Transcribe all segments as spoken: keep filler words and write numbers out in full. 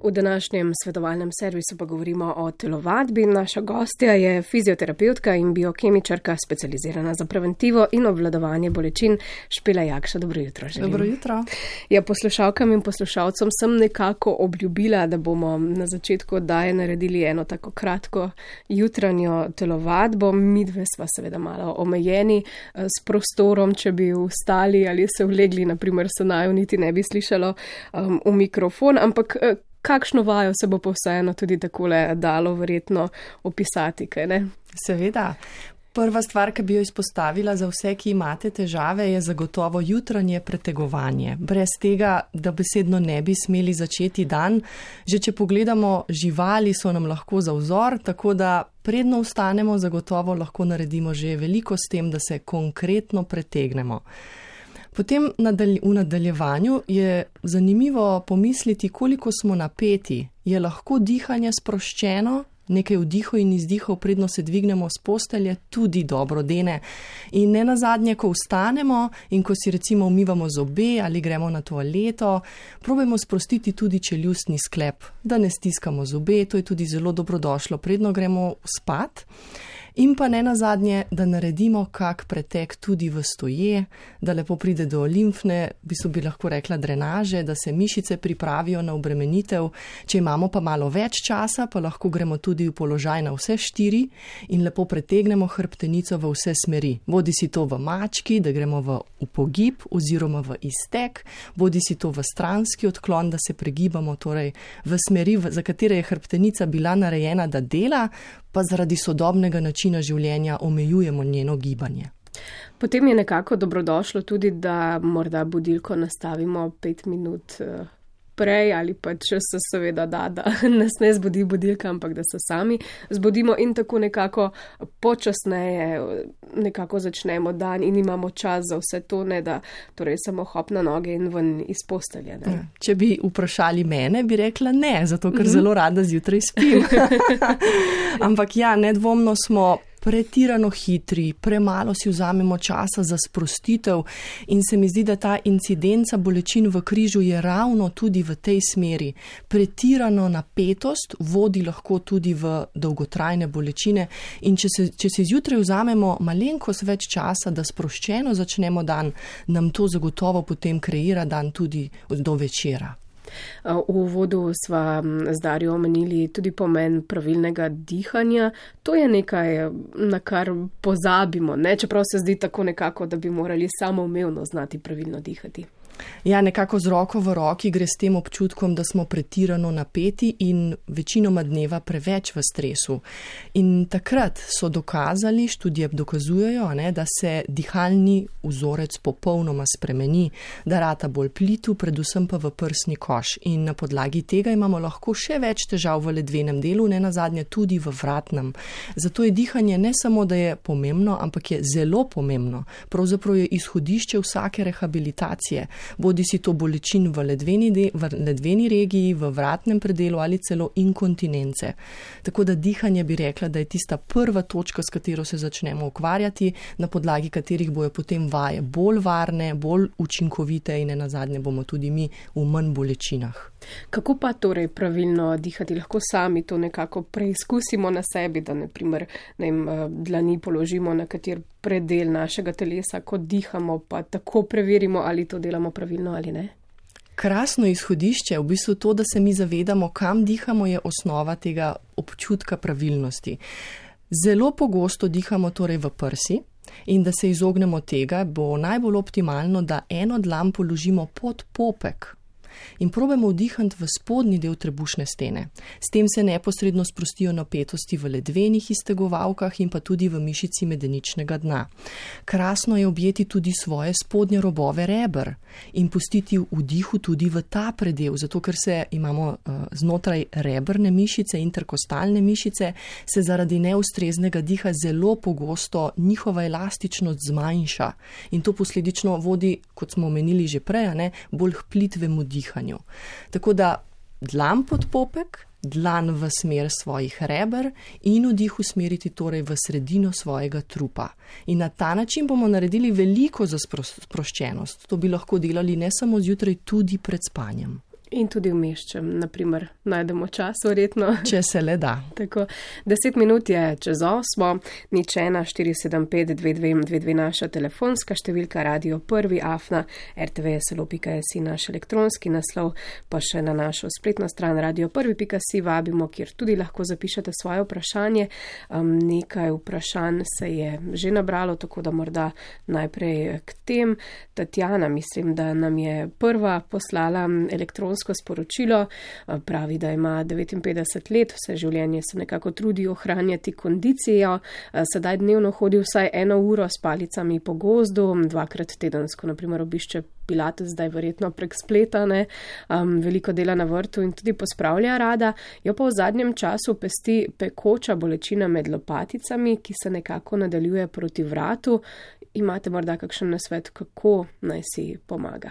V današnjem svetovalnem servisu pa govorimo o telovadbi. Naša gostja je fizioterapeutka in biokemičarka, specializirana za preventivo in obvladovanje bolečin, Špela Jakša. Dobro jutro. Želim. Dobro jutro. Ja, poslušalkam in poslušalcem sem nekako obljubila, da bomo na začetku oddaje naredili eno tako kratko jutranjo telovadbo. Midve sva seveda malo omejeni s prostorom, če bi vstali ali se vlegli, naprimer se naju niti ne bi slišalo um, v mikrofon, ampak kakšno vajo se bo pa vseeno tudi takole dalo verjetno opisati, kaj ne? Seveda. Prva stvar, ki bi jo izpostavila za vse, ki imate težave, je zagotovo jutranje pretegovanje. Brez tega, da besedno ne bi smeli začeti dan. Že če pogledamo, živali so nam lahko za vzor, tako da predno vstanemo, zagotovo lahko naredimo že veliko s tem, da se konkretno pretegnemo. Potem v nadaljevanju je zanimivo pomisliti, koliko smo napeti. Je lahko dihanje sproščeno, nekaj vdihov in izdihov, predno se dvignemo s postelje, tudi dobro dene. In ne nazadnje, ko vstanemo in ko si recimo umivamo zobe ali gremo na toaleto, probajmo sprostiti tudi čeljustni sklep, da ne stiskamo zobe, to je tudi zelo dobrodošlo, predno gremo spat. In pa ne nazadnje, da naredimo kak pretek tudi v stoje, da lepo pride do limfne, bi so bi lahko rekla drenaže, da se mišice pripravijo na obremenitev. Če imamo pa malo več časa, pa lahko gremo tudi v položaj na vse štiri in lepo pretegnemo hrbtenico v vse smeri. Bodi si to v mački, da gremo v upogib oziroma v iztek, bodi si to v stranski odklon, da se pregibamo torej v smeri, za katere je hrbtenica bila narejena, da dela, pa zaradi sodobnega načina življenja omejujemo njeno gibanje. Potem je nekako dobrodošlo tudi, da morda budilko nastavimo pet minut prej ali pa če se seveda da, da nas ne zbudi budilka, ampak da se sami zbudimo in tako nekako počasneje nekako začnemo dan in imamo čas za vse to, ne da torej samo hop na noge in ven iz postelje. Ne? Če bi vprašali mene, bi rekla ne, zato ker zelo rada zjutraj spim. Ampak ja, nedvomno smo pretirano hitri, premalo si vzamemo časa za sprostitev in se mi zdi, da ta incidenca bolečin v križu je ravno tudi v tej smeri. Pretirano napetost vodi lahko tudi v dolgotrajne bolečine in če se, če si zjutraj vzamemo malenkost več časa, da sproščeno začnemo dan, nam to zagotovo potem kreira dan tudi do večera. V uvodu sva z Darjo omenili tudi pomen pravilnega dihanja. To je nekaj, na kar pozabimo, ne? Čeprav se zdi tako nekako, da bi morali samoumevno znati pravilno dihati. Ja, nekako z roko v roki gre s tem občutkom, da smo pretirano napeti in večinoma dneva preveč v stresu. In takrat so dokazali, študije dokazujejo, ne, da se dihalni vzorec popolnoma spremeni, da rata bolj plitu, predvsem pa v prsni koš. In na podlagi tega imamo lahko še več težav v ledvenem delu, ne nazadnje tudi v vratnem. Zato je dihanje ne samo, da je pomembno, ampak je zelo pomembno. Pravzaprav je izhodišče vsake rehabilitacije. Bodi si to bolečin v ledveni, de, v ledveni regiji, v vratnem predelu ali celo inkontinence. Tako da dihanje bi rekla, da je tista prva točka, s katero se začnemo ukvarjati, na podlagi katerih bojo potem vaje bolj varne, bolj učinkovite in nenazadnje bomo tudi mi v manj bolečinah. Kako pa torej pravilno dihati? Lahko sami to nekako preizkusimo na sebi, da ne primer ne vem, dlani položimo na kater predel našega telesa, ko dihamo, pa tako preverimo, ali to delamo pravilno ali ne? Krasno izhodišče, v bistvu to, da se mi zavedamo, kam dihamo, je osnova tega občutka pravilnosti. Zelo pogosto dihamo torej v prsi in da se izognemo tega, bo najbolj optimalno, da eno dlan položimo pod popek in probamo vdihati v spodnji del trebušne stene. S tem se neposredno sprostijo napetosti v ledvenih iztegovalkah in pa tudi v mišici medeničnega dna. Krasno je objeti tudi svoje spodnje robove reber in pustiti vdihu tudi v ta predel, zato ker se imamo uh, znotraj reberne mišice, interkostalne mišice, se zaradi neustreznega diha zelo pogosto njihova elastičnost zmanjša in to posledično vodi, kot smo omenili že prej, ne, bolj k plitvemu dihanju. Tako da dlan pod popek, dlan v smer svojih reber in vdih usmeriti torej v sredino svojega trupa. In na ta način bomo naredili veliko za sproščenost. To bi lahko delali ne samo zjutraj, tudi pred spanjem. In tudi vmes, če naprimer najdemo čas, verjetno. Če se le da. Tako, deset minut je čez osmo, nič ena, štiri sedem pet, dve dve dve dve naša telefonska številka, Radio Prvi, afna, er te ve es el o pika es i naš elektronski naslov, pa še na našo spletno stran radio prvi pika si vabimo, kjer tudi lahko zapišete svoje vprašanje. Um, nekaj vprašanj se je že nabralo, tako da morda najprej k tem. Tatjana, mislim, da nam je prva poslala elektronsko sporočilo, pravi, da ima devetinpetdeset let, vse življenje se nekako trudi ohranjati kondicijo, sedaj dnevno hodi vsaj eno uro s palicami po gozdu, dvakrat tedensko, naprimer obišče pilates, zdaj verjetno prek spleta, ne, um, veliko dela na vrtu in tudi pospravlja rada, jo pa v zadnjem času pesti pekoča bolečina med lopaticami, ki se nekako nadaljuje proti vratu. Imate morda kakšen nasvet, kako naj si pomaga?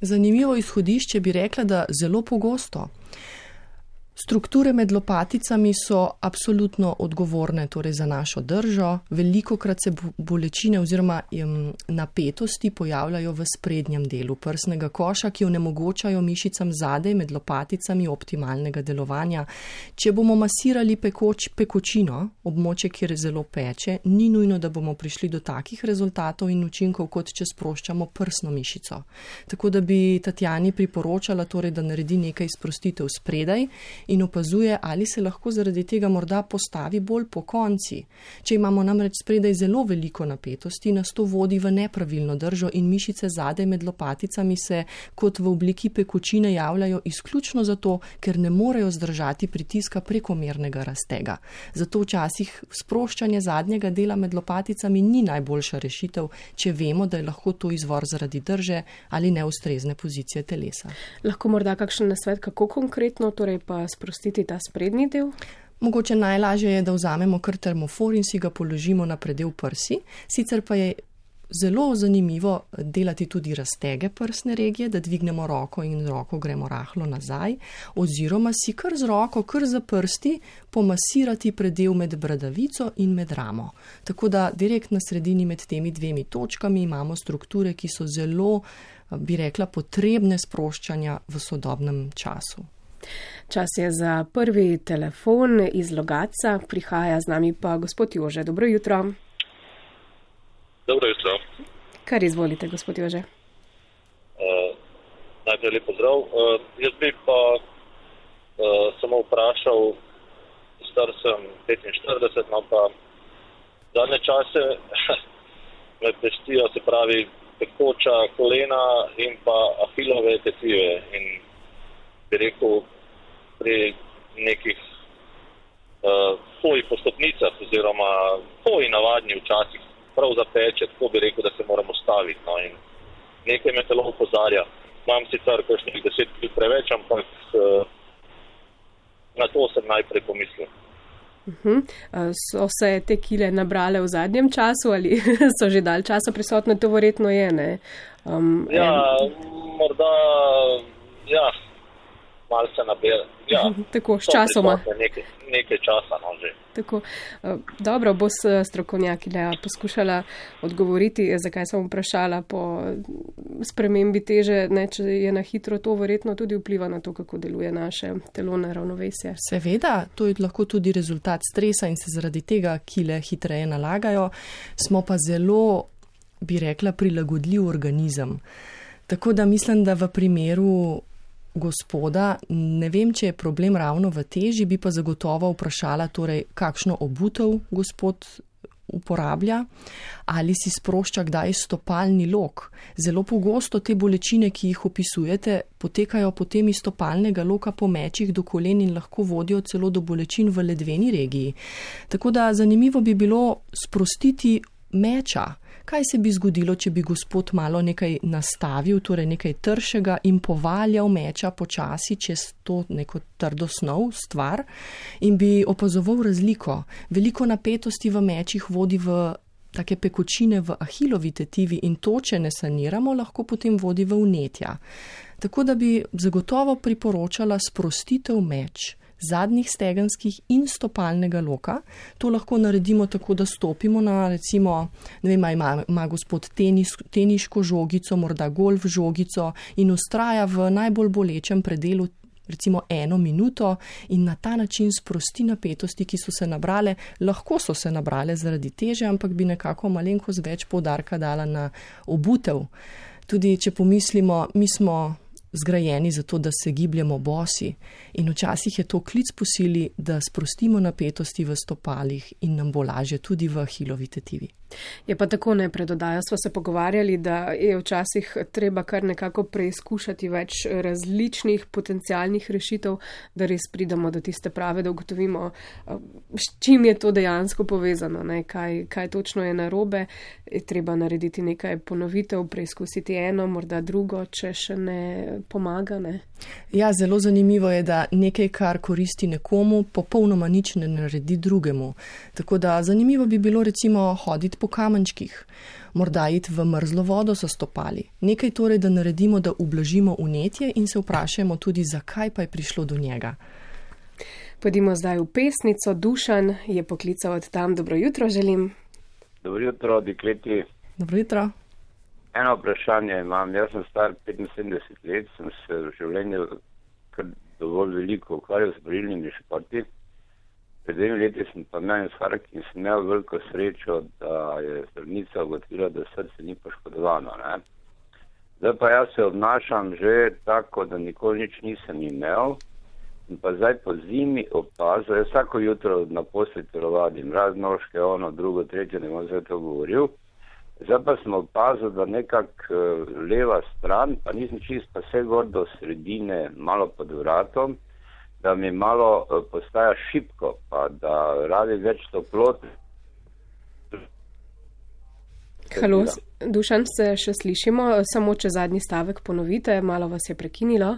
Zanimivo izhodišče bi rekla, da zelo pogosto. Strukture med lopaticami so absolutno odgovorne torej za našo držo. Velikokrat se bolečine oziroma napetosti pojavljajo v sprednjem delu prsnega koša, ki onemogočajo mišicam zadaj med lopaticami optimalnega delovanja. Če bomo masirali pekoč, pekočino, območje, kjer zelo peče, ni nujno, da bomo prišli do takih rezultatov in učinkov, kot če sproščamo prsno mišico. Tako da bi Tatjani priporočala, torej, da naredi nekaj sprostitev spredaj in opazuje, ali se lahko zaradi tega morda postavi bolj po konci. Če imamo namreč spredaj zelo veliko napetosti, nas to vodi v nepravilno držo in mišice zadaj med lopaticami se kot v obliki pekočine javljajo izključno zato, ker ne morejo zdržati pritiska prekomernega raztega. Zato včasih sproščanje zadnjega dela med lopaticami ni najboljša rešitev, če vemo, da je lahko to izvor zaradi drže ali neustrezne pozicije telesa. Lahko morda kakšen nasvet, kako konkretno torej pa sprostiti ta sprednji del? Mogoče najlažje je, da vzamemo kar termofor in si ga položimo na predel prsi. Sicer pa je zelo zanimivo delati tudi raztege prsne regije, da dvignemo roko in roko gremo rahlo nazaj, oziroma si kar z roko, kar za prsti pomasirati predel med bradavico in med ramo. Tako da direkt na sredini med temi dvemi točkami imamo strukture, ki so zelo, bi rekla, potrebne sproščanja v sodobnem času. Čas je za prvi telefon iz Logatca, prihaja z nami pa gospod Jože. Dobro jutro. Dobro jutro. Kar izvolite, gospod Jože? Uh, najprej lep pozdrav. Uh, jaz bi pa uh, samo vprašal, star sem petinštirideset, no pa zadnje čase me pestijo, se pravi, pekoča kolena in pa ahilove tetive in bi rekel, pri nekih uh, hoji po stopnicah oziroma hoji navadni včasih prav zapeče, tako bi rekel, da se moramo staviti. No, in nekaj me telo opozarja. Imam sicer kakšnih deset kil preveč, ampak uh, na to sem najprej pomislil. Uh-huh. So se te kile nabrale v zadnjem času ali so že dalj časa prisotne? To verjetno je, ne? Um, ja, en... morda, ja. Malo se nabere. Ja, tako, s časoma. Nekaj, nekaj časa, no, že. Tako, dobro, bo strokovnjakinja poskušala odgovoriti, zakaj sem vprašala po spremembi teže, ne, če je na hitro, to verjetno tudi vpliva na to, kako deluje naše telo na ravnovesje. Seveda, to je lahko tudi rezultat stresa in se zaradi tega kile hitreje nalagajo. Smo pa zelo, bi rekla, prilagodljiv organizem. Tako da mislim, da v primeru gospoda, ne vem, če je problem ravno v teži, bi pa zagotovo vprašala, torej, kakšno obutev gospod uporablja, ali si sprošča kdaj stopalni lok. Zelo pogosto te bolečine, ki jih opisujete, potekajo potem iz stopalnega loka po mečih do kolen in lahko vodijo celo do bolečin v ledveni regiji. Tako da zanimivo bi bilo sprostiti meča. Kaj se bi zgodilo, če bi gospod malo nekaj nastavil, torej nekaj tršega in povaljal meča počasi čez to neko trdo snov, stvar, in bi opazoval razliko. Veliko napetosti v mečih vodi v take pekočine v ahilovi tetivi in to, če ne saniramo, lahko potem vodi v vnetja. Tako da bi zagotovo priporočala sprostitev meč. zadnjih stegenskih in stopalnega loka. To lahko naredimo tako, da stopimo na, recimo, ne vem, ima, ima gospod tenis, teniško žogico, morda golf žogico in ustraja v najbolj bolečem predelu recimo eno minuto in na ta način sprosti napetosti, ki so se nabrale. Lahko so se nabrale zaradi teže, ampak bi nekako malenkost več poudarka dala na obutev. Tudi če pomislimo, mi smo zgrajeni za to, da se gibljemo bosi in včasih je to klic po sili, da sprostimo napetosti v stopalih in nam bo lažje tudi v ahilovi tetivi. Je pa tako, ne, pred oddajo smo se pogovarjali, da je včasih treba kar nekako preizkušati več različnih potencialnih rešitev, da res pridemo do tiste prave, da ugotovimo, s čim je to dejansko povezano, ne, kaj, kaj točno je narobe. Je treba narediti nekaj ponovitev, preizkusiti eno, morda drugo, če še ne pomaga. Ne. Ja, zelo zanimivo je, da nekaj, kar koristi nekomu, popolnoma nič ne naredi drugemu. Tako da zanimivo bi bilo recimo hoditi po kamenčkih, morda iti v mrzlo vodo so stopali. Nekaj torej, da naredimo, da ublažimo vnetje in se vprašamo tudi, zakaj pa je prišlo do njega. Pojdimo zdaj v pesnico. Dušan je poklical od tam. Dobro jutro želim. Dobro jutro, dekleti. Dobro jutro. Eno vprašanje imam. Jaz sem star petinsedemdeset let, sem se v življenju kar dovolj veliko ukvarjal s borilnimi športi. Pred dvemi leti sem pa imel infarkt in sem imel veliko srečo, da je zdravnica ugotovila, da srce ni poškodovano. Ne? Zdaj pa jaz se obnašam že tako, da nikoli nič nisem imel in pa zdaj po zimi opazil, jaz vsako jutro na posli telovadim, raznožke, ono, drugo, tretje, ne bom zdaj to govoril. Zdaj pa sem opazil, da nekak leva stran, pa nisem čist pa vse gor do sredine, malo pod vratom, da mi malo postaja šibko, pa da radi več toplote. Halo, Dušan, se še slišimo, samo če zadnji stavek ponovite, malo vas je prekinilo.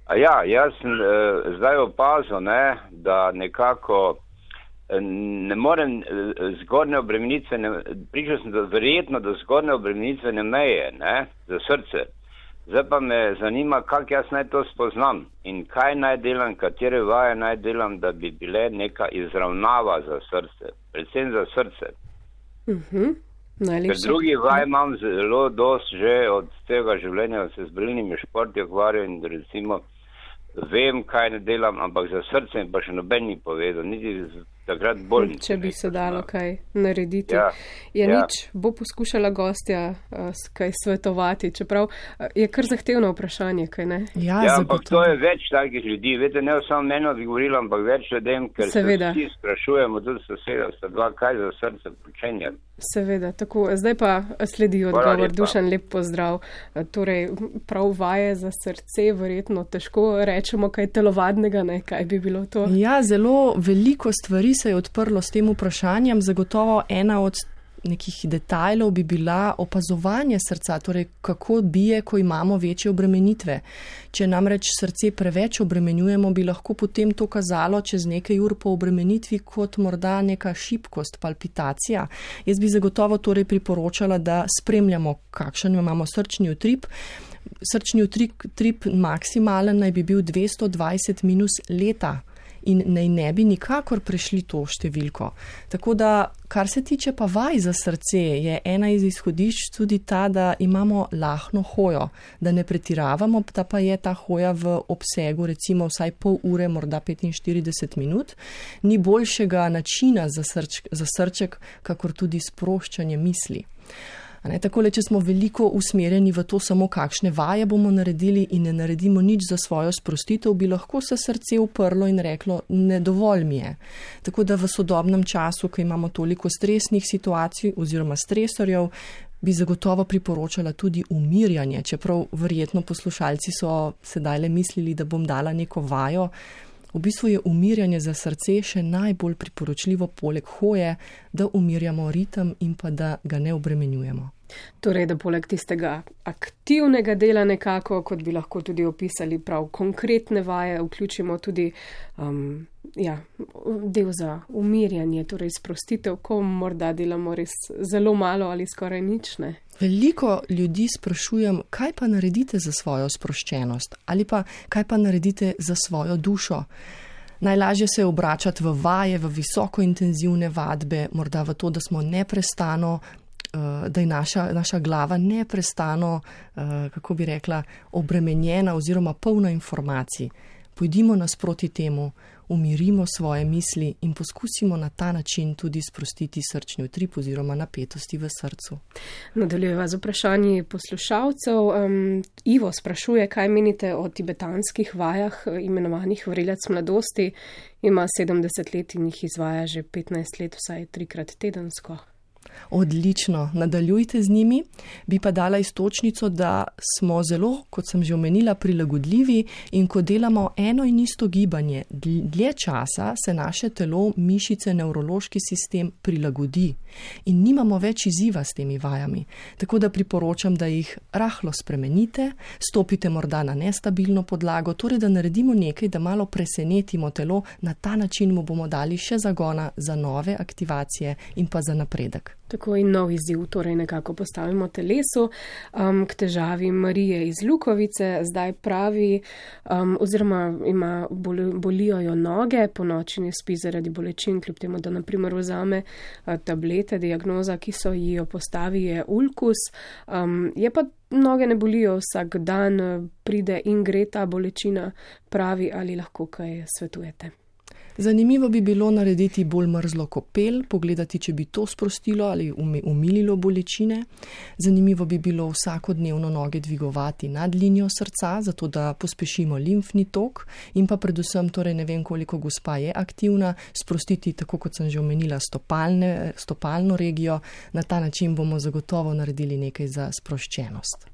A ja, jaz sem eh, zdaj opazil, ne, da nekako eh, ne morem eh, zgornje obremenitvene, pričal sem, da verjetno do zgornje obremenitvene meje, ne, za srce. Zdaj pa me zanima, kako jaz naj to spoznam in kaj naj delam, katere vaje naj delam, da bi bile neka izravnava za srce, predvsem za srce. Uh-huh. Ker drugi vaj imam zelo dost že od tega življenja, da se z borilnimi športi ukvarjam in recimo vem, kaj ne delam, ampak za srce pa še noben ni povedal, niti takrat bolj. Če bi se dalo kaj narediti. Ja, je ja. nič, bo poskušala gostja uh, kaj svetovati, čeprav uh, je kar zahtevno vprašanje, kaj ne? Ja, ja ampak to je več takih ljudi. Vete, ne samo meni odgovorila, ampak več ljudem, ker Seveda. se vsi sprašujemo, tudi soseda, sta dva, kaj za srce počenja. Seveda, tako. Zdaj pa sledi odgovor. Dušan, lep pozdrav. Torej, prav vaje za srce, verjetno težko rečemo kaj telovadnega, ne, kaj bi bilo to? Ja, zelo veliko stvari se je odprlo s tem vprašanjem. Zagotovo ena od nekih detajlov bi bila opazovanje srca, torej kako bije, ko imamo večje obremenitve. Če namreč srce preveč obremenjujemo, bi lahko potem to kazalo čez nekaj ur po obremenitvi kot morda neka šibkost, palpitacija. Jaz bi zagotovo torej priporočala, da spremljamo, kakšen imamo srčni utrip. Srčni utrip maksimalen naj bi bil dvesto dvajset minus leta. In naj ne bi nikakor prešli to številko. Tako da, kar se tiče pa vaj za srce, je ena iz izhodišč tudi ta, da imamo lahno hojo, da ne pretiravamo, da pa je ta hoja v obsegu recimo vsaj pol ure, morda petinštirideset minut. Ni boljšega načina za, srč, za srček, kakor tudi sproščanje misli. Ne, takole, če smo veliko usmerjeni v to samo, kakšne vaje bomo naredili in ne naredimo nič za svojo sprostitev, bi lahko se srce uprlo in reklo, ne dovolj mi je. Tako da v sodobnem času, ko imamo toliko stresnih situacij oziroma stresorjev, bi zagotovo priporočala tudi umirjanje, čeprav verjetno poslušalci so sedaj le mislili, da bom dala neko vajo. V bistvu je umirjanje za srce še najbolj priporočljivo poleg hoje, da umirjamo ritem in pa da ga ne obremenjujemo. Torej, da poleg tistega aktivnega dela nekako, kot bi lahko tudi opisali prav konkretne vaje, vključimo tudi um, ja, del za umirjanje, torej sprostitev, ko morda delamo res zelo malo ali skoraj nič, ne? Veliko ljudi sprašujem, kaj pa naredite za svojo sproščenost ali pa kaj pa naredite za svojo dušo. Najlažje se je obračati v vaje, v visokointenzivne vadbe, morda v to, da smo neprestano, da je naša, naša glava neprestano, kako bi rekla, obremenjena oziroma polna informacij. Pojdimo nasproti temu, umirimo svoje misli in poskusimo na ta način tudi sprostiti srčni utrip oziroma napetosti v srcu. Nadaljujeva z vprašanji poslušalcev. Um, Ivo sprašuje, kaj menite o tibetanskih vajah, imenovanih vrelec mladosti. Ima sedemdeset let in jih izvaja že petnajst let, vsaj trikrat tedensko. Odlično, nadaljujte z njimi. Bi pa dala iztočnico, da smo zelo, kot sem že omenila, prilagodljivi in ko delamo eno in isto gibanje, dlje časa se naše telo, mišice, nevrološki sistem prilagodi in nimamo več izziva s temi vajami. Tako da priporočam, da jih rahlo spremenite, stopite morda na nestabilno podlago, torej da naredimo nekaj, da malo presenetimo telo, na ta način mu bomo dali še zagona za nove aktivacije in pa za napredek. Tako in nov izziv, torej nekako postavimo telesu. Um, k težavi Marije iz Lukovice zdaj pravi, um, oziroma ima boli, bolijo jo noge, po noči ne spi zaradi bolečin, kljub temu, da naprimer vzame uh, tablete, diagnoza, ki so ji jo postavi, je ulkus. Um, je pa noge ne bolijo vsak dan, pride in gre ta bolečina, pravi, ali lahko kaj svetujete. Zanimivo bi bilo narediti bolj mrzlo kopel, pogledati, če bi to sprostilo ali umililo bolečine. Zanimivo bi bilo vsakodnevno noge dvigovati nad linijo srca, zato da pospešimo limfni tok in pa predvsem, torej ne vem, koliko gospa je aktivna, sprostiti, tako kot sem že omenila, stopalne, stopalno regijo. Na ta način bomo zagotovo naredili nekaj za sproščenost.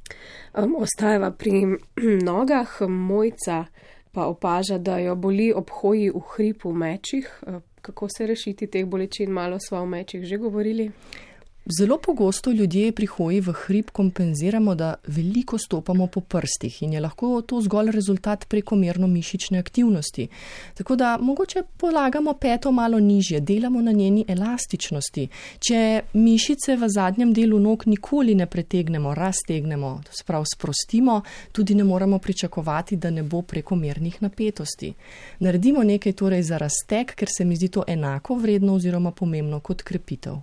Um, ostajava pri nogah. Mojca pa opaža, da jo boli ob hoji v hripu v mečih. Kako se rešiti teh bolečin? Malo sva o mečih že govorili. Zelo pogosto ljudje pri hoji v hrib kompenziramo, da veliko stopamo po prstih in je lahko to zgolj rezultat prekomerno mišične aktivnosti. Tako da mogoče polagamo peto malo nižje, delamo na njeni elastičnosti. Če mišice v zadnjem delu nog nikoli ne pretegnemo, raztegnemo, to se pravi sprostimo, tudi ne moremo pričakovati, da ne bo prekomernih napetosti. Naredimo nekaj torej za razteg, ker se mi zdi to enako vredno oziroma pomembno kot krepitev.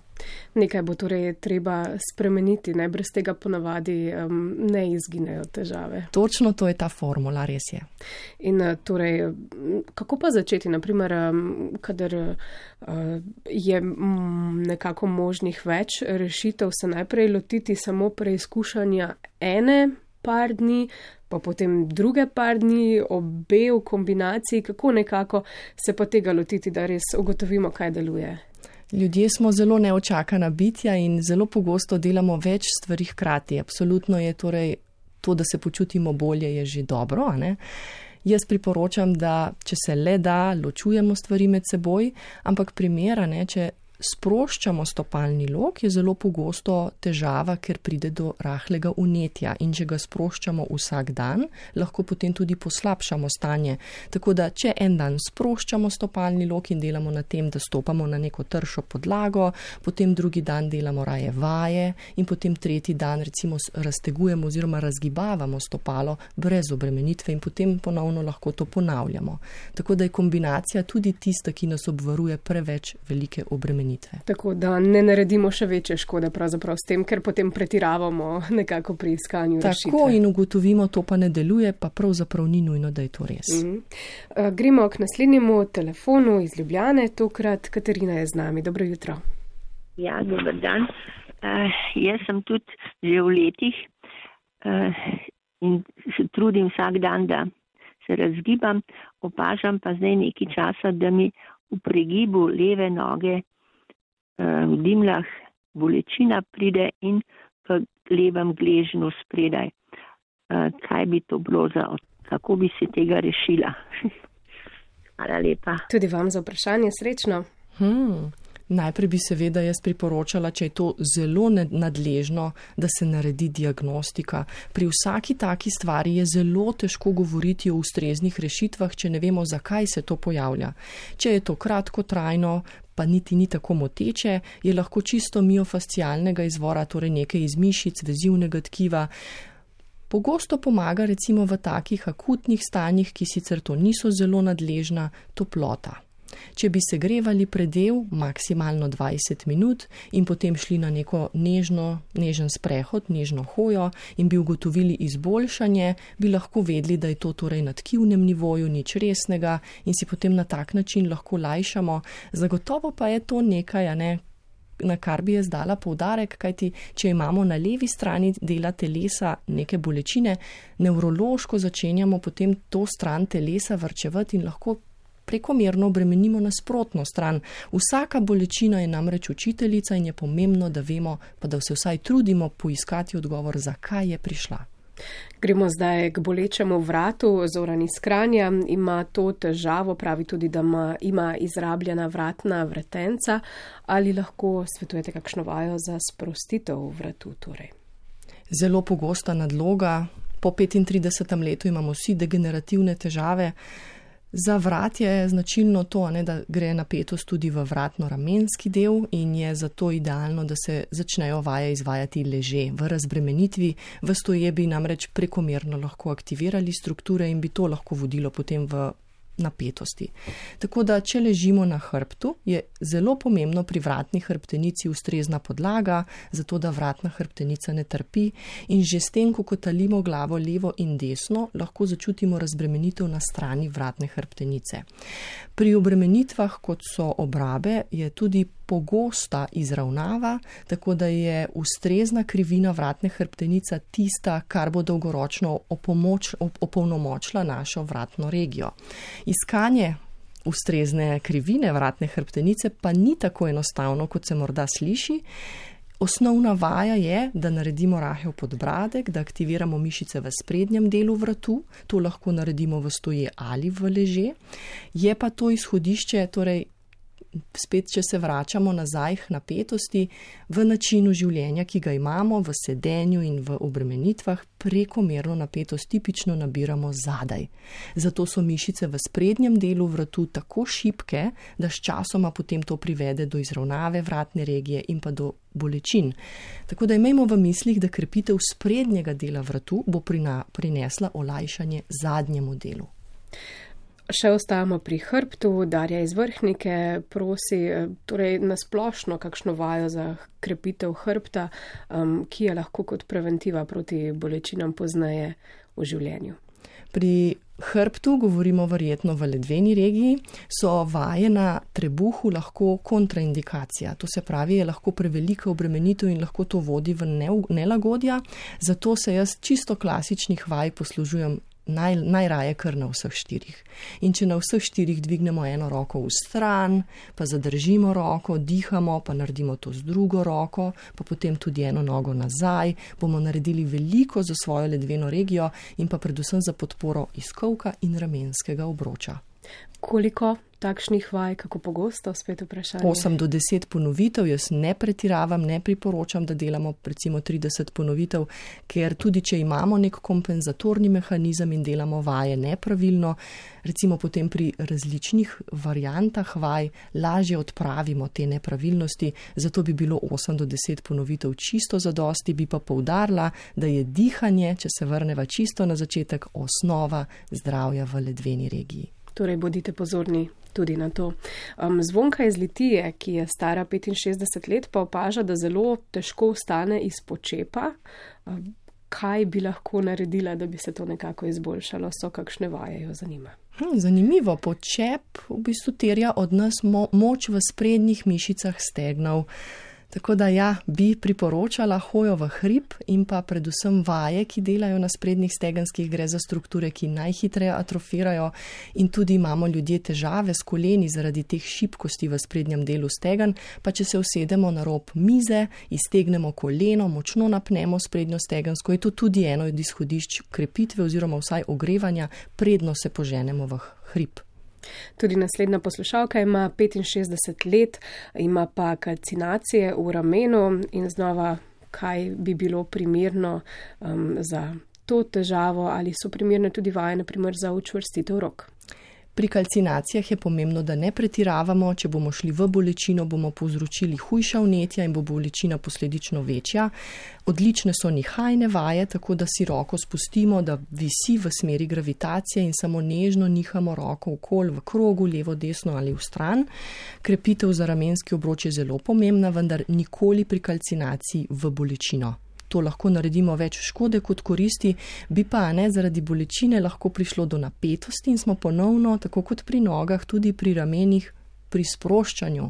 Nekaj bo torej treba spremeniti, ne, brez tega ponavadi um, ne izginejo težave. Točno to je ta formula, res je. In torej, kako pa začeti, naprimer, kadar uh, je m, nekako možnih več rešitev, se najprej lotiti samo preizkušanja ene par dni, pa potem druge par dni, obe v kombinaciji, kako nekako se pa tega lotiti, da res ugotovimo, kaj deluje. Ljudje smo zelo neočakana bitja in zelo pogosto delamo več stvari hkrati. Absolutno je torej to, da se počutimo bolje, je že dobro, a ne? Jaz priporočam, da če se le da, ločujemo stvari med seboj, ampak primera, ne, če sproščamo stopalni lok, je zelo pogosto težava, ker pride do rahlega vnetja in če ga sproščamo vsak dan, lahko potem tudi poslabšamo stanje. Tako da, če en dan sproščamo stopalni lok in delamo na tem, da stopamo na neko tršo podlago, potem drugi dan delamo raje vaje in potem tretji dan recimo raztegujemo oziroma razgibavamo stopalo brez obremenitve in potem ponovno lahko to ponavljamo. Tako da je kombinacija tudi tista, ki nas obvaruje preveč velike obremenitve. Tako da ne naredimo še večje škode pravzaprav s tem, ker potem pretiravamo nekako pri iskanju rešitve. Tako in ugotovimo, to pa ne deluje, pa pravzaprav ni nujno, da je to res. Mm-hmm. Uh, gremo k naslednjemu telefonu iz Ljubljane, tokrat Katarina je z nami. Dobro jutro. Ja, dober dan. Uh, jaz sem tudi že v letih uh, in se trudim vsak dan, da se razgibam, opažam pa zdaj nekaj časa, da mi v pregibu leve noge v dimljah bolečina pride in v levem gležnju spredaj. Kaj bi to bilo za, kako bi se tega rešila? Hvala lepa. Tudi vam za vprašanje, srečno. Hmm. Najprej bi seveda jaz priporočala, če je to zelo nadležno, da se naredi diagnostika. Pri vsaki taki stvari je zelo težko govoriti o ustreznih rešitvah, če ne vemo, zakaj se to pojavlja. Če je to kratkotrajno, pa niti ni tako moteče, je lahko čisto miofascialnega izvora, torej nekaj iz mišic, vezivnega tkiva. Pogosto pomaga recimo v takih akutnih stanjih, ki sicer to niso zelo nadležna, toplota. Če bi segrevali predel maksimalno dvajset minut in potem šli na neko nežno, nežen sprehod, nežno hojo in bi ugotovili izboljšanje, bi lahko vedeli, da je to torej na tkivnem nivoju, nič resnega in si potem na tak način lahko lajšamo. Zagotovo pa je to nekaj, a ne, na kar bi jaz dala poudarek, kajti če imamo na levi strani dela telesa neke bolečine, nevrološko začenjamo potem to stran telesa varčevati in lahko prekomerno obremenimo nasprotno stran. Vsaka bolečina je namreč učiteljica in je pomembno, da vemo, pa da se vsaj trudimo poiskati odgovor, zakaj je prišla. Gremo zdaj k bolečemu vratu. Zoran iz Kranja ima to težavo, pravi tudi, da ima, ima izrabljena vratna vretenca. Ali lahko svetujete kakšno vajo za sprostitev vratu? Torej? Zelo pogosta nadloga. Po petintridesetem letu imamo vsi degenerativne težave. Za vrat je značilno to, ne, da gre napetost tudi v vratno-ramenski del in je zato idealno, da se začnejo vaje izvajati leže. V razbremenitvi v stoje bi namreč prekomerno lahko aktivirali strukture in bi to lahko vodilo potem v napetosti. Tako da, če ležimo na hrbtu, je zelo pomembno pri vratni hrbtenici ustrezna podlaga, zato da vratna hrbtenica ne trpi in že s tem, ko kotalimo glavo levo in desno, lahko začutimo razbremenitev na strani vratne hrbtenice. Pri obremenitvah, kot so obrabe, je tudi pogosta izravnava, tako da je ustrezna krivina vratne hrbtenice tista, kar bo dolgoročno opomoč, op, opolnomočila našo vratno regijo. Iskanje ustrezne krivine vratne hrbtenice pa ni tako enostavno, kot se morda sliši. Osnovna vaja je, da naredimo rahel podbradek, da aktiviramo mišice v sprednjem delu vratu, to lahko naredimo v stoje ali v leže. Je pa to izhodišče, torej spet, če se vračamo nazaj k napetosti, v načinu življenja, ki ga imamo, v sedenju in v obremenitvah, prekomerno napetost tipično nabiramo zadaj. Zato so mišice v sprednjem delu vratu tako šibke, da s časoma potem to privede do izravnave vratne regije in pa do bolečin. Tako da imejmo v mislih, da krepitev sprednjega dela vratu bo prina, prinesla olajšanje zadnjemu delu. Še ostajamo pri hrbtu. Darja iz Vrhnike prosi, torej nasplošno kakšno vajo za krepitev hrbta, um, ki je lahko kot preventiva proti bolečinam pozneje v življenju. Pri hrbtu, govorimo verjetno v ledveni regiji, so vaje na trebuhu lahko kontraindikacija. To se pravi, je lahko prevelika obremenitev in lahko to vodi v nelagodja. Zato se jaz čisto klasičnih vaj poslužujem Naj, najraje kar na vseh štirih. In če na vseh štirih dvignemo eno roko v stran, pa zadržimo roko, dihamo, pa naredimo to z drugo roko, pa potem tudi eno nogo nazaj, bomo naredili veliko za svojo ledveno regijo in pa predvsem za podporo izkovka in ramenskega obroča. Koliko takšnih vaj, kako pogosto, spet vprašanje? osem do deset ponovitev, jaz ne pretiravam, ne priporočam, da delamo recimo trideset ponovitev, ker tudi če imamo nek kompenzatorni mehanizem in delamo vaje nepravilno, recimo potem pri različnih variantah vaj lažje odpravimo te nepravilnosti, zato bi bilo osem do deset ponovitev čisto zadosti, bi pa poudarila, da je dihanje, če se vrneva čisto na začetek, osnova zdravja v ledveni regiji. Torej, bodite pozorni tudi na to. Um, Zvonka iz Litije, ki je stara petinšestdeset let, pa opaža, da zelo težko vstane iz počepa. Um, kaj bi lahko naredila, da bi se to nekako izboljšalo? So kakšne vaje, jo zanima? Hm, zanimivo. Počep v bistvu terja od nas mo- moč v sprednjih mišicah stegnov. Tako da ja, bi priporočala hojo v hrib in pa predvsem vaje, ki delajo na sprednjih stegenskih, gre za strukture, ki najhitreje atrofirajo in tudi imamo ljudje težave s koleni zaradi teh šibkosti v sprednjem delu stegen, pa če se usedemo na rob mize, iztegnemo koleno, močno napnemo sprednjo stegensko, je to tudi eno od izhodišč krepitve oziroma vsaj ogrevanja, predno se poženemo v hrib. Tudi naslednja poslušalka ima petinšestdeset let, ima pa kalcinacije v ramenu in znova, kaj bi bilo primerno um, za to težavo ali so primerne tudi vaje, na primer za učvrstitev rok. Pri kalcinacijah je pomembno, da ne pretiravamo, če bomo šli v bolečino, bomo povzročili hujša vnetja in bo bolečina posledično večja. Odlične so nihajne vaje, tako da si roko spustimo, da visi v smeri gravitacije in samo nežno nihamo roko okoli v krogu, levo, desno ali v stran. Krepitev za ramenski obroč je zelo pomembna, vendar nikoli pri kalcinaciji v bolečino. To lahko naredimo več škode kot koristi, bi pa ne zaradi bolečine lahko prišlo do napetosti in smo ponovno, tako kot pri nogah, tudi pri ramenih, pri sproščanju.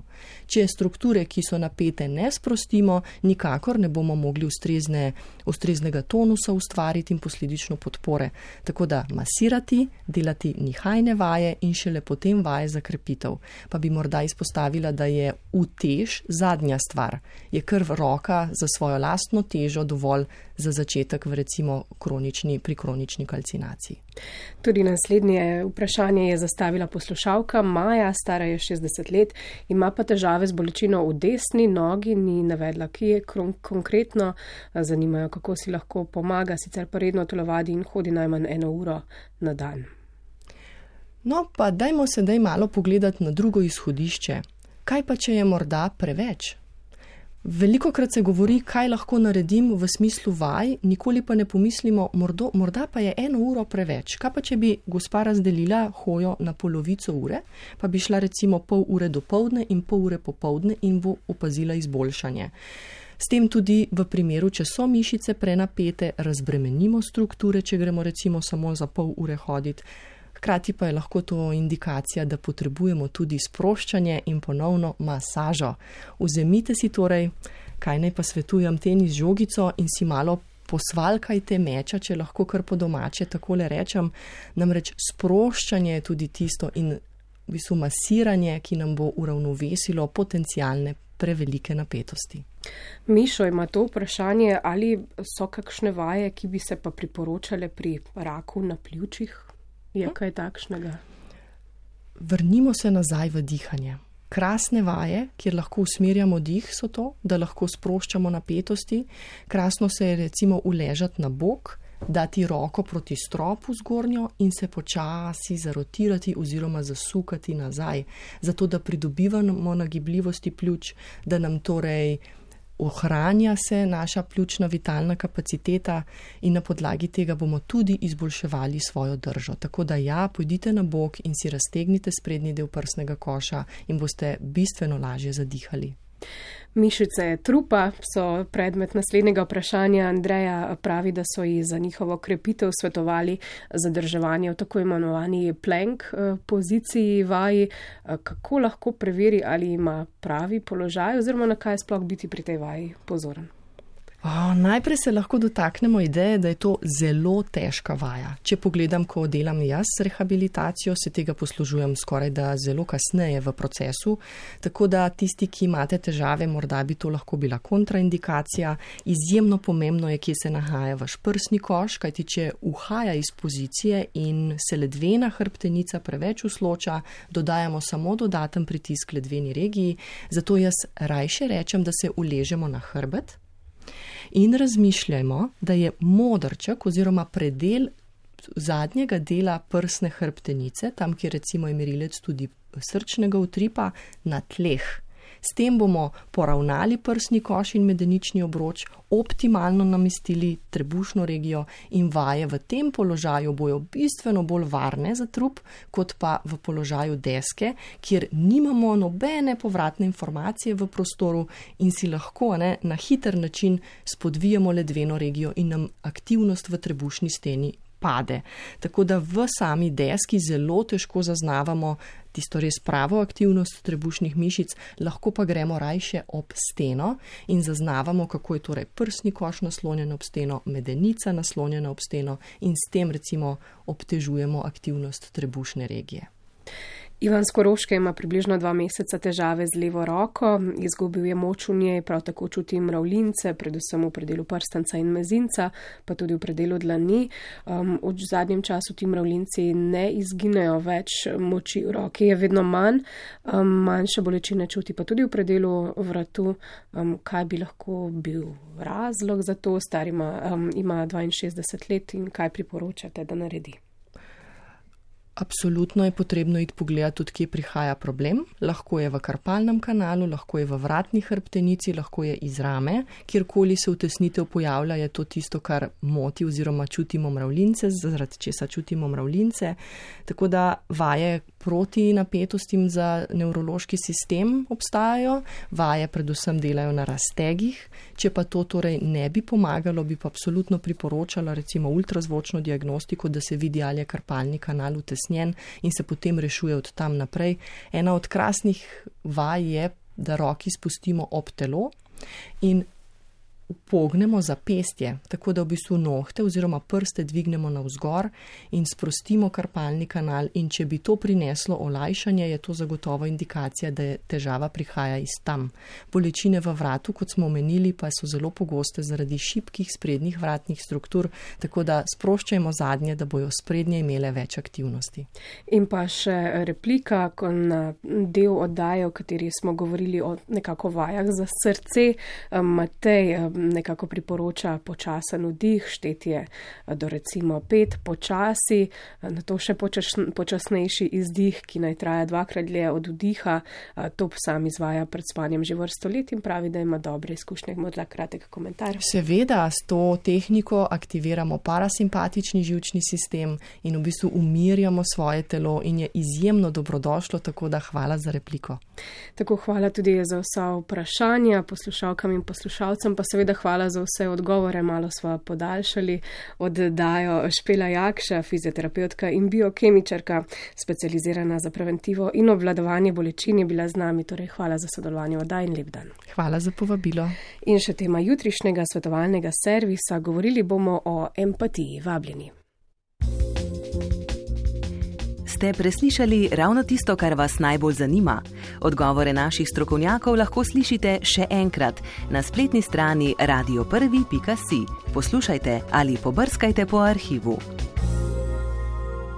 Če strukture, ki so napete, ne sprostimo, nikakor ne bomo mogli ustrezne, ustreznega tonusa ustvariti in posledično podpore. Tako da masirati, delati nihajne vaje in šele potem vaje za krepitev. Pa bi morda izpostavila, da je utež zadnja stvar. Je krv roka za svojo lastno težo dovolj za začetek v recimo kronični, pri kronični kalcinaciji. Tudi naslednje vprašanje je zastavila poslušalka Maja, stara je šestdeset let, ima pa težave z bolečino v desni nogi, ni navedla, ki je konkretno, zanimajo, kako si lahko pomaga, sicer pa redno telovadi in hodi najmanj eno uro na dan. No, pa dajmo sedaj malo pogledati na drugo izhodišče. Kaj pa, če je morda preveč? Velikokrat se govori, kaj lahko naredim v smislu vaj, nikoli pa ne pomislimo, mordo, morda pa je eno uro preveč. Kaj pa, če bi gospa razdelila hojo na polovico ure, pa bi šla recimo pol ure dopoldne in pol ure popoldne in bo opazila izboljšanje. S tem tudi v primeru, če so mišice prenapete, razbremenimo strukture, če gremo recimo samo za pol ure hoditi. Hkrati pa je lahko to indikacija, da potrebujemo tudi sproščanje in ponovno masažo. Vzemite si torej, kaj naj pa svetujem, tenis žogico in si malo posvalkajte meča, če lahko kar po domače takole rečem. Namreč sproščanje je tudi tisto in v bistvu masiranje, ki nam bo uravnovesilo potencialne prevelike napetosti. Mišo ima to vprašanje, ali so kakšne vaje, ki bi se pa priporočale pri raku na pljučih? Je kaj takšnega? Vrnimo se nazaj v dihanje. Krasne vaje, kjer lahko usmerjamo dih, so to, da lahko sproščamo napetosti. Krasno se je recimo uležati na bok, dati roko proti stropu zgornjo in se počasi zarotirati oziroma zasukati nazaj, zato da pridobivamo nagibljivosti pljuč, da nam torej ohranja se naša pljučna vitalna kapaciteta in na podlagi tega bomo tudi izboljševali svojo držo. Tako da ja, pojdite na bok in si raztegnite sprednji del prsnega koša in boste bistveno lažje zadihali. Mišice trupa so predmet naslednjega vprašanja. Andreja pravi, da so ji za njihovo krepitev svetovali zadrževanje v tako imenovani plank poziciji vaji. Kako lahko preveri, ali ima pravi položaj oziroma na kaj sploh biti pri tej vaji pozoren? O, najprej se lahko dotaknemo ideje, da je to zelo težka vaja. Če pogledam, ko delam jaz rehabilitacijo, se tega poslužujem skoraj da zelo kasneje v procesu, tako da tisti, ki imate težave, morda bi to lahko bila kontraindikacija. Izjemno pomembno je, kje se nahaja vaš prsni koš, kajti če uhaja iz pozicije in se ledvena hrbtenica preveč usloča, dodajamo samo dodaten pritisk ledveni regiji, zato jaz rajše rečem, da se uležemo na hrbet. In razmišljajmo, da je modrček oziroma predel zadnjega dela prsne hrbtenice, tam, kjer recimo je merilec tudi srčnega utripa, na tleh. S tem bomo poravnali prsni koš in medenični obroč, optimalno namestili trebušno regijo in vaje v tem položaju bojo bistveno bolj varne za trup, kot pa v položaju deske, kjer nimamo nobene povratne informacije v prostoru in si lahko ne, na hiter način spodvijamo ledveno regijo in nam aktivnost v trebušni steni pade. Tako da v sami deski zelo težko zaznavamo tisto res pravo aktivnost trebušnih mišic, lahko pa gremo rajše ob steno in zaznavamo, kako je torej prsni koš naslonjen ob steno, medenica naslonjena ob steno in s tem recimo obtežujemo aktivnost trebušne regije. Ivan Skoroške ima približno dva meseca težave z levo roko, izgubil je moč v njej, prav tako čuti mravljince, predvsem v predelu prstanca in mezinca, pa tudi v predelu dlani. Um, v zadnjem času ti mravljinci ne izginejo več, moči v roki je vedno manj, um, manjše bolečine čuti pa tudi v predelu vratu. Um, kaj bi lahko bil razlog za to? Star ima, um, ima dvainšestdeset let in kaj priporočate, da naredi? Absolutno je potrebno iti pogledati, od kje prihaja problem. Lahko je v karpalnem kanalu, lahko je v vratni hrbtenici, lahko je iz rame. Kjerkoli se utesnitev pojavlja, je to tisto, kar moti oziroma čutimo mravljince, zaradi česa čutimo mravljince. Tako da vaje proti napetostim za nevrološki sistem obstajajo, vaje predvsem delajo na raztegih. Če pa to torej ne bi pomagalo, bi pa absolutno priporočala recimo ultrazvočno diagnostiko, da se vidi, ali je karpalni kanal utesnjen in se potem rešuje od tam naprej. Ena od krasnih vaj je, da roki spustimo ob telo in pognemo zapestje, tako da v bistvu nohte oziroma prste dvignemo navzgor in sprostimo karpalni kanal, in če bi to prineslo olajšanje, je to zagotovo indikacija, da je težava prihaja iz tam. Bolečine v vratu, kot smo omenili, pa so zelo pogoste zaradi šibkih sprednjih vratnih struktur, tako da sproščajmo zadnje, da bojo sprednje imele več aktivnosti. In pa še replika na del oddaje, o kateri smo govorili o nekako vajah za srce. Matej nekako priporoča počasen vdih, štetje do recimo pet počasi, na to še počas, počasnejši izdih, ki naj traja dvakrat dlje od vdiha. To sam izvaja pred spanjem že vrsto let in pravi, da ima dobre izkušnje. Morda kratek komentar. Seveda, s to tehniko aktiviramo parasimpatični živčni sistem in v bistvu umirjamo svoje telo in je izjemno dobrodošlo, tako da hvala za repliko. Tako hvala tudi za vsa vprašanja poslušalkam in poslušalcem, pa seveda hvala za vse odgovore, malo sva podaljšali oddajo. Špela Jakša, fizioterapeutka in biokemičarka, specializirana za preventivo in obvladovanje bolečin, je bila z nami, torej hvala za sodelovanje v oddaji in lep dan. Hvala za povabilo. In še tema jutrišnjega svetovalnega servisa, govorili bomo o empatiji. Vabljeni. Ste preslišali ravno tisto, kar vas najbolj zanima? Odgovore naših strokovnjakov lahko slišite še enkrat na spletni strani radio prvi pika si. Poslušajte ali pobrskajte po arhivu.